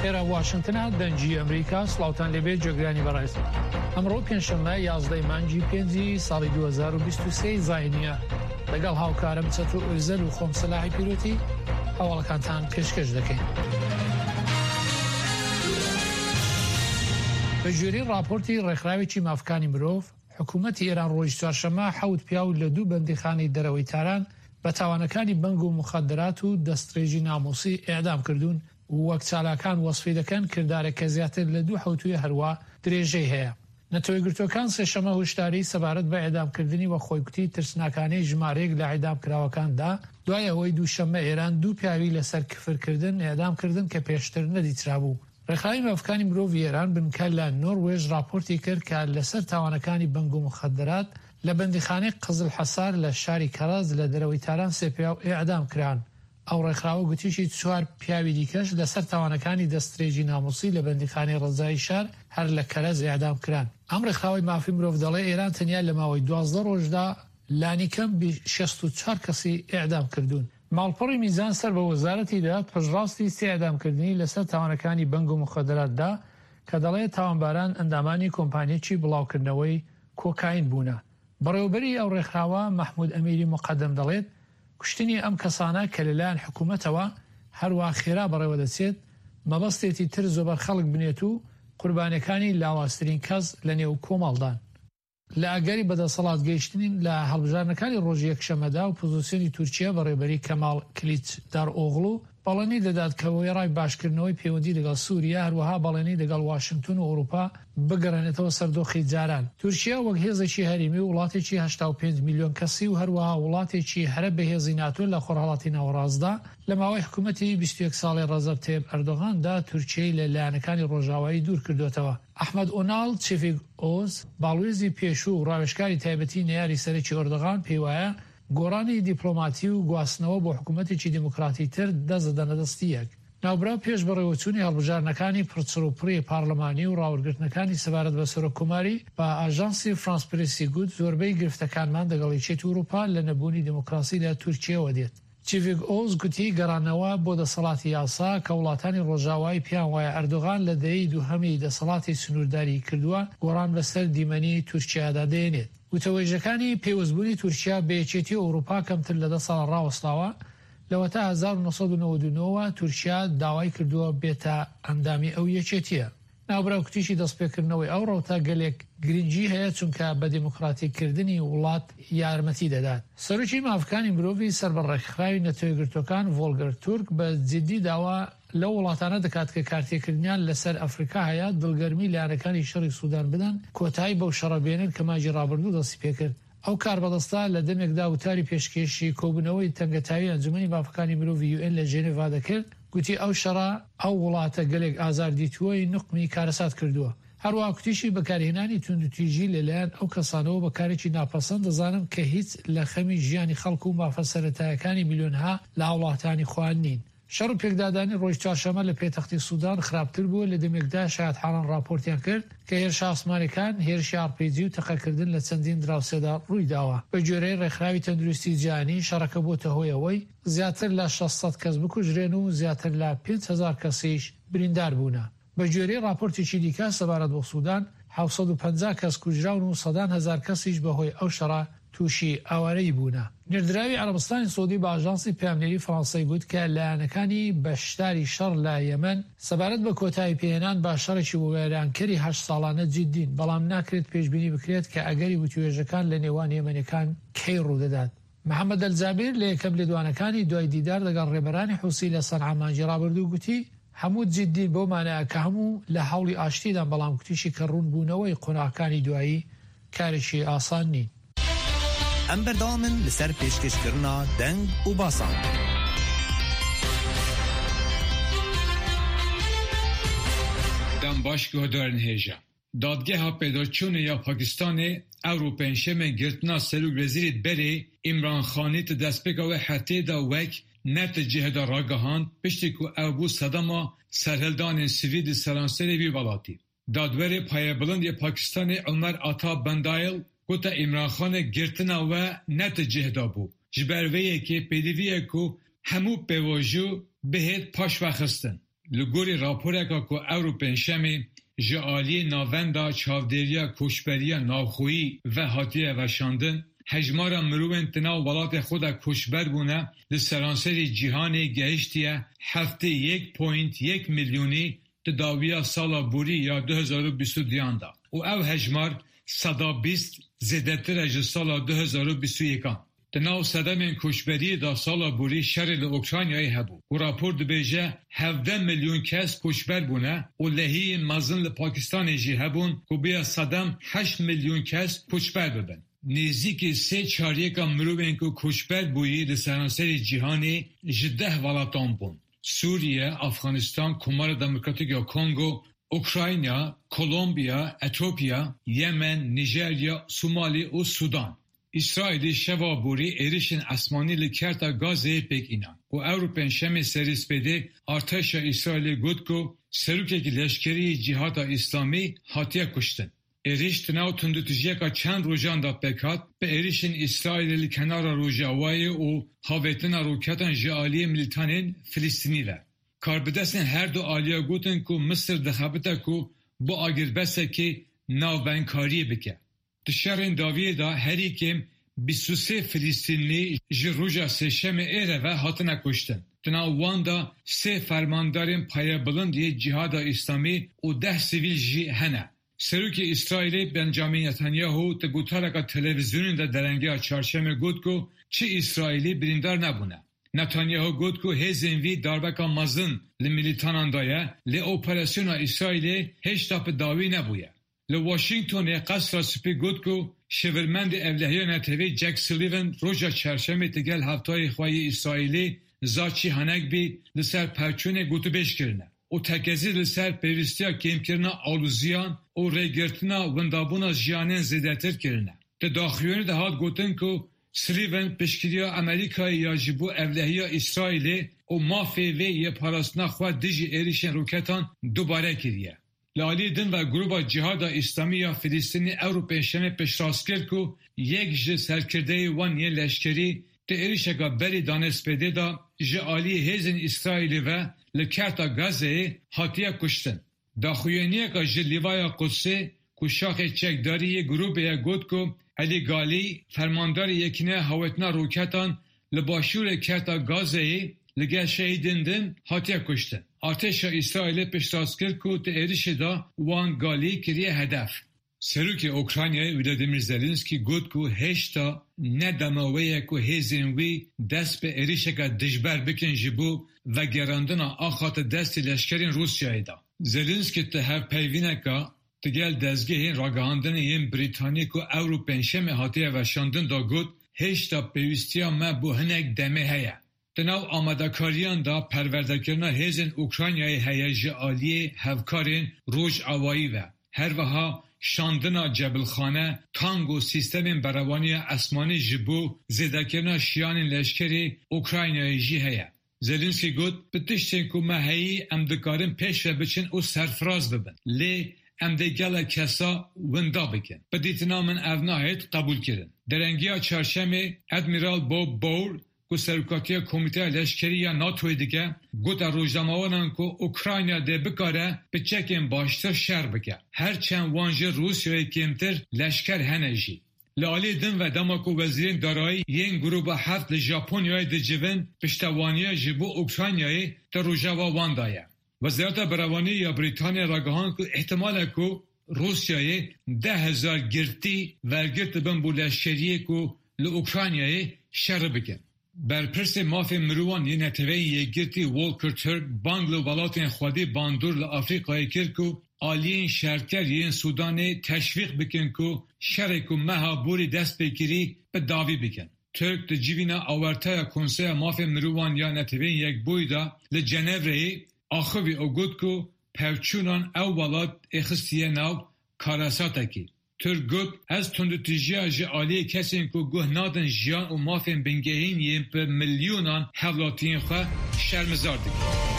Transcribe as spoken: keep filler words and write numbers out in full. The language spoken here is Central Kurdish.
ئێرە واشنتنە، دەنگی ئەمریکا. سڵاوتان لێبێت جێگرانی بەڕێز. ئەمڕۆ پێنجشەممە یازدە مانگی پێنجی ساڵی دوو هەزار و بیست و سێ زاینیە. لەگەڵ هاوکارم چەتۆ ئۆزەل و خۆم سەلاحی پیرۆتی هەواڵەکانتان پێشکەش دەکەین. بە گوێرەی ڕاپۆرتی ڕێکخراوێکی مافکانی مرۆڤ، حکوومەتی ئێران ڕۆژی چوارشەممە حەوت پیاو لە دوو بەندیخانەی دەرەوەی تاران بە تاوانەکانی بەنگ و مخدرات و دەستڕێژی ناموسی ئێعدام کردوون و وەک چالاکان وەسفی دەکەن کردارێک کە زیاتر لە دوو حەوتووی هەروە درێژەی هەیە. نەتەوەیەکگرتووەکان سێشەممە هۆشداری سەبارەت بە ئێعدامکردنی وە خۆیکوتی ترسناکانەی ژمارەیەک لە ئێعدامکراوەکاندا دوای ئەوەی دووشەممە ئێران دوو پیاوی لەسەر کفرکردن ئێعدام کردن کە پێشتر نەدیترابوو. ڕێکخراوی مافەکانی مرۆڤی ئێران بنکە لە نۆروێژ ڕاپۆرتی کرد کە لەسەر تاوانەکانی بەنگ و مخدرات لە بەندیخانەی قزل حەسار لە شاری کەرەج لە دەرەوەی تاران سێ پیاو ئێعدام کران. ئەو ڕێکخراوە گوتیشی چوار پیاوی دیکەش لەسەر تاوانەکانی دەستڕێژی ناموسی لە بەندیخانەی ڕەجایی شار هەر لە کەرەج ئێعدام کران. ئەم ڕێکخراوەی مافی مرۆڤ دەڵێ ئێران تەنیا لە ماوەی دوازدە ڕۆژدا لانیکەم شەست و چوار کەسی ئێعدام کردوون. ماڵپەڕی میزان سەر بە وەزارەتی داد پشتڕاستی سێ ئێعدامکردنی لەسەر تاوانەکانی بەنگ و مخدراتدا کە دەڵێ تاوانباران ئەندامانی کۆمپانیەکی بڵاوکردنەوەی کۆکاین بوونە. بەڕێوەبەری ئەو ڕێکخراوە مەحمود ئەمیری مقەدەم دەڵێت کوشتنی ئەم کەسانە کە لەلایەن حکوومەتەوە هەروە خێرا بەڕێوە دەچێت مەبەستێتی تر زۆبەر خەڵک بنێت و قوربانیەکانی لاوازترین کەس لە نێو کۆمەڵدان. لە ئەگەری بەدەسەڵات گەیشتنین لە هەڵبژاردنەکانی ڕۆژی یەکشەممەدا و پۆزیسیۆنی تورکیا بەڕێبەری کەمال کلیچدار ئۆغڵو بەڵێنی دەدات کە وێڕای باشکردنەوەی پەیوەندی لەگەڵ سووریا، هەروەها بەڵێنی لەگەڵ واشنگتن و ئەوروپا بگەڕێنێتەوە سەر دۆخی جاران. تورکیا وەک هێزێکی هەرێمی و وڵاتێکی هەشتا و پێنج میلیۆن کەسی و هەروەها وڵاتێکی هەرە بەهێزی ناتۆ لە خۆرهەڵاتی ناوەڕاستدا لە ماوەی حکوومەتی بیست و یەک ساڵی ڕەجەب تەیب ئەردۆغاندا تورکیای لە لایەنەکانی ڕۆژاوایی دوور کردوێتەوە. ئەحمەد ئۆناڵ چیڤیک ئۆز باڵوێزی پێشوو و ڕاوێژکاری تایبەتی نەیاری سەرەکی ئەردۆغان پێی وایە گۆڕانی دیپلۆماتی و گواستنەوە بۆ حکوومەتێکی دیموکراتی تر دەست دەدەنە دەستی یەک. ناوبراو پێش بەڕێوەچوونی هەڵبژاردنەکانی پڕچڕوپڕی پارلەمانی و ڕاوەرگرتنەکانی سەبارەت بە سەرۆککۆماری بە ئاژانسی فرانس پرێسی گوت زۆربەی گرفتەکانمان دەگەڵ یەکێتی ئەوروپا لە نەبوونی دیموکراسی لە تورکیاوە دێت. چیڤیک ئۆز گوتی گەڕانەوە بۆ دەسەڵاتی یاسا کە وڵاتانی ڕۆژاوایی پێیان وایە ئەردۆغان لە دەیەی دووهەمی دەسەڵاتی سنوورداری کردووە گۆڕان بەسەر دیمەنی تورکیادا دێنێت. وتەوێژەکانی پەیوەستبوونی تورکیا بە یەکێتی ئەوروپا کەمتر لە دە ساڵ ڕاوەستاوە. لەوەتا هەزار و نۆ سەد و نەوەد و نۆ تورکیا داوای کردووە بێتە ئەندامی ئەو یەکێتیە. ناوبراو کوتیشی دەستپێکردنەوەی ئەو ڕەوتە گەلێک گرنگی هەیە چونکە بە دیموکراتیکردنی وڵات یارمەتی دەدات. سەرۆکی مافەکانی مرۆڤی سەر بە ڕێکخراوی نەتەوەیەکگرتووەکان ڤۆلگەر تورک بە جدی داوا لەو وڵاتانە دەکات کە کارتێکردنیان لەسەر ئەفریکا هەیە دڵگەرمی لایەنەکانی شەڕی سودان بدەن کۆتایی بەو شەڕە بێنن کە مانگی ڕابردوو دەستی پێکرد. ئەو کاربەدەستە لە دەمێکدا وتاری پێشکێشی کۆبوونەوەی تەنگەتاوی ئەنجومەنی مافەکانی مرۆڤی یوئێن لە ژێنێڤا دەکرد گوتی ئەو شەڕە ئەو وڵاتە گەلێک ئازار دیتووەی نوقمی کارەسات کردووە. هەروەها کوتیشی بەکارهێنانی توندوتیژی لەلایەن ئەو کەسانەوە بەکارێکی ناپەسەند دەزانم کە هیچ لە خەمی ژیانی خەڵک و مافە سەرەتایەکانی میلیۆنها لە هاوڵاتانی خۆیان نین. شەڕ و پێکدادانی ڕۆژ چوارشەممە لە پێتەختی سودان خراپتر بووە لە دەمێکدا شایەتحاڵان ڕاپۆرتیان کرد کە هێرشە ئاسمانەکان، هێرشی ئاڕپیجی و تەقەکردن لە چەندین دراوسێدا ڕووی داوە. بە گوێرەی ڕێکخراوی تەندروستی جیهانی شەڕەکە بۆتە هۆی ئەوەی زیاتر لە شەش سەد کەس بکوژرێن و زیاتر لە پێنج هەزار کەسیش بریندار بوونە. بە گوێرەی ڕاپۆرتێکی دیکە سەبارەت بۆ سودان حەوت سەد و پەنجا کەس کوژراون و سەدان هەزار کەسیش بەهۆی ئەو شەڕە تووشی ئاوارەیی بوونە. نێردراوی عەرەبستانی سعودی بە ئاژانسی پەیامنێری فەرەنسای گوت کە لایەنەکانی بەشداری شەڕ لە یەمەن سەبارەت بە کۆتایی پێهێنان بە شەڕێکی وێرانکەری هەشت ساڵانە جدین، بەڵام ناکرێت پێشبینی بکرێت کە ئەگەری وتوێژەکان لە نێوان یەمەنەکان کەی ڕوودەدات. محەممەد ئەلجابیر لە یەکەم لێدوانەکانی دوای دیدار لەگەڵ ڕێبەرانی حوسی لە سەنعا مانگی ڕابردوو گوتی هەموو جدین بەو مانایە کە هەموو لە هەوڵی ئاشتیدان، بەڵام گوتیشی کە ڕوونبوونەوەی قۆناغەکانی دوایی کارێکی ئاسان نین. ئەم بەردەوامن لەسەر پێشکەشکردنا دەنگ و باسان. دەم باش guhdarên hêja. Dadgeha pêdaçûnê ya Pakistanê ewro pêncşemê girtina Serokwezîrê berê İmran Xanî di destpêka wê hefteyê de wek ne di cihê de ragihand piştî ku ew bû sedema serhildanên sivîl di seranserê vî welatî. Dadwerê payebilind yê Pakistanê Ömer Ata Bendayel gote İmran Xanê girtina we ne di cihê de bû. Ji ber vê yekê pêdivî ye ku hemû pêvajo bihêt paşvexistin. Li gorî raporeka ku ewro pêncşemê ji aliyê Navenda Çavdêriya Koçberiya Navxweyî ve hatiye weşandin, hejmara mirovên di nav welatê xwe de koçber bûne li seranserî cîhanê gehiştiye heftê yek point yek milyonî di dawiya sala borî ya du hezar û bîst û duyan de û ew hejmar seda bîst zêdetir e ji sala du hezar û bîst û yekan. Di nav sedemên koçberiyê de sala borî şerê li Ukraynayê hebû û rapor dibêje hevdeh milyon kes koçber bûne û lehiyên mezin li Pakistanê jî hebûn ku bûye sedem heşt milyon kes koçber bibin. Nêzîkî sê çaryeka mirovên ku koçber bûyî li seranserî cîhanê ji deh welatan bûn: Sûriye, Afganistan, Komara Demokratîk ya Kongo, Ukrayna, Kolombiya, Etiyopya, Yemen, Nijerya, Somalî û Sudan. İsraîlê şeva borî êrişên esmanî li Kerta Gazeyê pêk înan û ewro pêncşemê serê spêdê artêşa Îsraîlê got ku serokekî leşkerî Cîhada Îslamî hatiye kuştin. Êriş di nav tundûtûjiyeka çend rojan de pêk hat bi êrişên Îsraîlê li kenara Rojavayê û havêtina roketan ji aliyê milîtanên Filistînî ve. Karbidestên her du aliya gotin ku Misir dixebite ku bo agirbesekê navbenkariyê bike. Di şerên dawiyê de herî kêm bîst û sê Filistînî ji roja sêşemê êre ve hatine kuştin. Di nav wan de sê fermandarên payebilind yê Cîhada Îslamî û deh sivîl jî hene. Serokê Îsraîlê Benjamin Netanyahu di gotareka televîzyonê de derengeya çarşemê got ku çi Îsraîlî birîndar nebûne. Netanyahu got ku hêzên wî darbeka mezin li milîtanan daye, lê operasyona Îsraîlê hêjta bi dawî nebûye. Li Washingtonê Qesra Spî got ku şêwirmendê Ewlehiya Netewî Jake Sullivan roja çarşemê digel hevtayê xwe yê Îsraîlî Tzachi Hanegbi li ser pevçûnê gotûbêj kirine û tekezî li ser pêwîstiya kêmkirina aloziyan û rêgirtina windabûna jiyanên zêdetir kirine. Di daxuyaniyê de hat gotin ku Sullivan piştgiriya Amerîkayê ya ji bo ewlehiya Îsraîlê û mafê wê yê parastina xwe dijî êrişên roketan dubare kiriye. Li aliyê din ve Grûpa Cîhada Îslamî ya Filistînê ewro pêncşemê piştrast kir ku yek ji serkirdeyê wan yên leşkerî di êrişeka berî danê spêdê de ji aliyê hêzên Îsraîlê ve li Kerta Gazeyê hatiye kuştin. Daxuyaniyeka ji Lîvaya Qudsê ku şaxê çekdarî yê grûpê ye got ku Elî Galî fermandarê Yekîneya Hawetina Roketan li başûrê Kerta Gazeyê li gel şehîdên din hatiye kuştin. Artêşa Îsraîlê piştrast kir ku di êrişê de wan Galî kiriye hedef. Serokê Ukraynayê Volodymyr Zelenskiy got ku hêjta ne dema wê ye ku hêzên wî dest bi êrişeke dijber bikin ji bo vegerandina axa di destê leşkerên Rûsyayê de. Zelenskiy di hevpeyvîneka digel dezgehên ragihandinê yên Brîtanî ku ewro pêncşemê hatiye weşandin de got, hêjta pêwîstiya me bo hinek demê heye. Di nav amadekariyan de perwerdekirina hêzên Ukraynayê heye ji aliyê hevkarên rojavayî ve. Her wiha şandina cebilxane, tang û sîstemên berevaniya esmanî ji bo zêdekirina şiyanên leşkerî Ukraynayê jî heye. Zelenskiy got, bi tiştên ku me heyî em dikarin pêş ve biçin û serfiraz bibin. Lê em dê gelek kesa winda bikin. Bi dîtina min ev nahêt qebûlkirin. Derengiya çarşemê Admiral Bob Bauer ku serokatiya Komîteya Leşkerî ya NATOyê dike, gote rojnamevanan ku Ukrayna dê bikare bi çekên baştir şer bike. Her çend wan ji Rûsyayê kêmtir leşker hene jî. Li aliyê din ve dema ku wezîrên darayî yên grûpa heft li Japonyayê dicivin, piştevaniya ji bo Ukraynayê di rojeva wan de ye. Wezareta Berevaniyê ya Brîtanya ragihand ku îhtimal e ku Rûsyayê deh hezar girtî wergirtibin bo leşkeriyê ku li Ukraynayê şer bikin. Berpirsê mafên mirovan yê Neteweyên Yekgirtî Volker Türk bang li welatên xwedî bandor li Afrîkayê kir ku aliyên şerker yên Sudanê teşwîq bikin ku şerê ku meha borî dest pê kirî bi dawî bikin. Türk di civîna Awerteya Konseya Mafên Mirovan ya Neteweyên Yekbûyî de li Cenevreyê axivî û got ku pevçûnan ew welat êxistiye nav karesatekê. Türk got, ez tundûtûjiya ji aliyê kesên ku guh nadin jiyan û mafên bingehîn yên bi milyonan hevlatiyên xwe şermezar dikim.